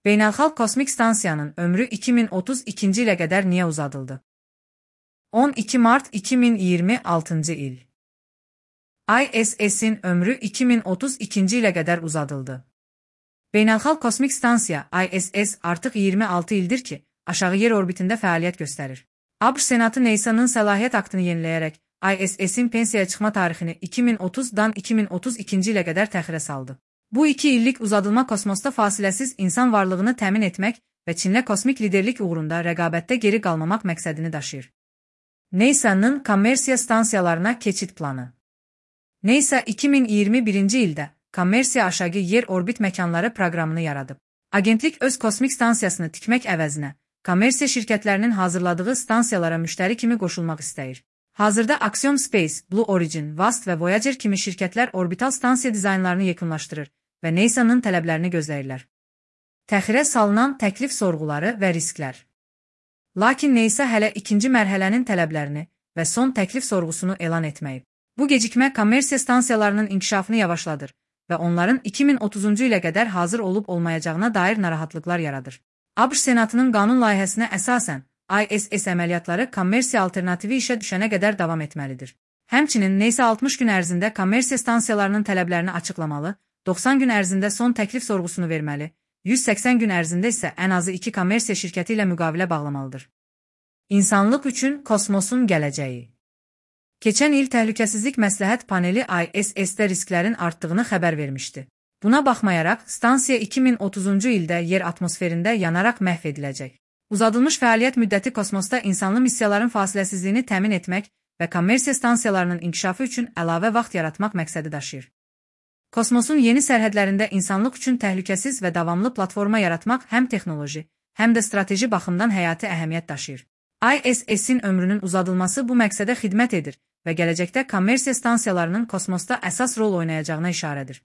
Beynəlxalq Kosmik Stansiyanın ömrü 2032-ci ilə qədər niyə uzadıldı? 12 mart 2026-cı il. ISS-in ömrü 2032-ci ilə qədər uzadıldı. Beynəlxalq Kosmik Stansiya ISS artıq 26 ildir ki, aşağı yer orbitində fəaliyyət göstərir. ABŞ Senatı NASA'nın səlahiyyət aktını yeniləyərək ISS-in pensiyaya çıxma tarixini 2030-dan 2032-ci ilə qədər təxirə saldı. Bu 2 illik uzadılma kosmosda fasiləsiz insan varlığını təmin etmək və Çinlə kosmik liderlik uğrunda rəqabətdə geri qalmamaq məqsədini daşıyır. NASA'nın kommersiya stansiyalarına keçid planı. NASA 2021-ci ildə kommersiya aşağı yer orbit məkanları proqramını yaradıb. Agentlik öz kosmik stansiyasını tikmək əvəzinə kommersiya şirkətlərinin hazırladığı stansiyalara müştəri kimi qoşulmaq istəyir. Hazırda Axiom Space, Blue Origin, VAST və Voyager kimi şirkətlər orbital stansiya dizaynlarını yekunlaşdırır və NASA'nın tələblərini gözləyirlər. Təxirə salınan təklif sorğuları və risklər. Lakin NASA hələ ikinci mərhələnin tələblərini və son təklif sorğusunu elan etməyib. Bu gecikmə kommersiya stansiyalarının inkişafını yavaşladır və onların 2030-cu ilə qədər hazır olub-olmayacağına dair narahatlıqlar yaradır. ABŞ Senatının qanun layihəsinə əsasən, ISS əməliyyatları kommersiya alternativi işə düşənə qədər davam etməlidir. Həmçinin NASA 60 gün ərzində kommersiya stansiyalarının tələblərini açıqlamalı, 90 gün ərzində son təklif sorğusunu verməli, 180 gün ərzində isə ən azı 2 kommersiya şirkəti ilə müqavilə bağlamalıdır. İnsanlıq üçün kosmosun gələcəyi. Keçən il Təhlükəsizlik Məsləhət Paneli ISS-də risklərin artdığını xəbər vermişdi. Buna baxmayaraq, stansiya 2030-cu ildə yer atmosferində yanaraq məhv ediləcək. Uzadılmış fəaliyyət müddəti kosmosda insanlı missiyaların fasiləsizliyini təmin etmək və kommersiya stansiyalarının inkişafı üçün əlavə vaxt yaratmaq məqsədi daşıyır. Kosmosun yeni sərhədlərində insanlıq üçün təhlükəsiz və davamlı platforma yaratmaq həm texnoloji, həm də strateji baxımdan həyati əhəmiyyət daşıyır. ISS-in ömrünün uzadılması bu məqsədə xidmət edir və gələcəkdə kommersiya stansiyalarının kosmosda əsas rol oynayacağına işarədir.